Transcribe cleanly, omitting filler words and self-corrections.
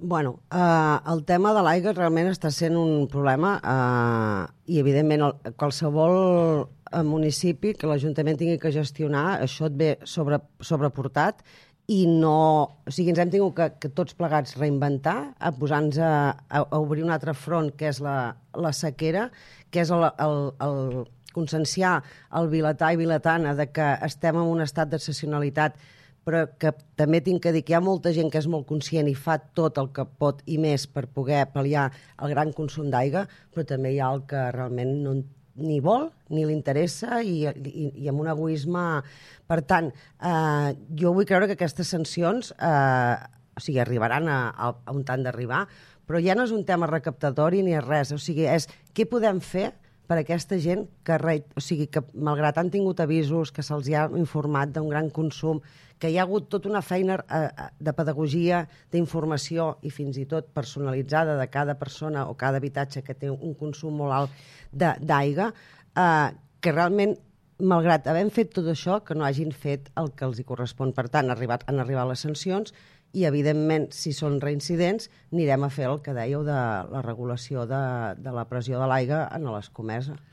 Bueno, el tema de l'aigua realment està sent un problema i, evidentment, qualsevol municipi que l'Ajuntament tingui que gestionar, això et ve sobreportat i no... O sigui, ens hem tingut que tots plegats reinventar, a posar-nos a obrir un altre front, que és la sequera, que és el conscienciar el vilatà i vilatana de que estem en un estat d'excepcionalitat, però que també tinc que dir que hi ha molta gent que és molt conscient i fa tot el que pot i més per poder pal·liar el gran consum d'aigua, però també hi ha el que realment no ni vol ni li interessa i amb un egoisme. Per tant, jo vull creure que aquestes sancions arribaran a on han d'arribar, però ja no és un tema recaptatori ni res, o sigui, és què podem fer per a aquesta gent que, malgrat han tingut avisos, que se'ls ha informat d'un gran consum, que hi ha hagut tota una feina de pedagogia, d'informació i fins i tot personalitzada de cada persona o cada habitatge que té un consum molt alt d'aigua, que realment, malgrat haver fet tot això, que no hagin fet el que els hi correspon. Per tant, han arribat les sancions i, evidentment, si són reincidents, anirem a fer el que dèieu de la regulació de la pressió de l'aigua en l'escomesa.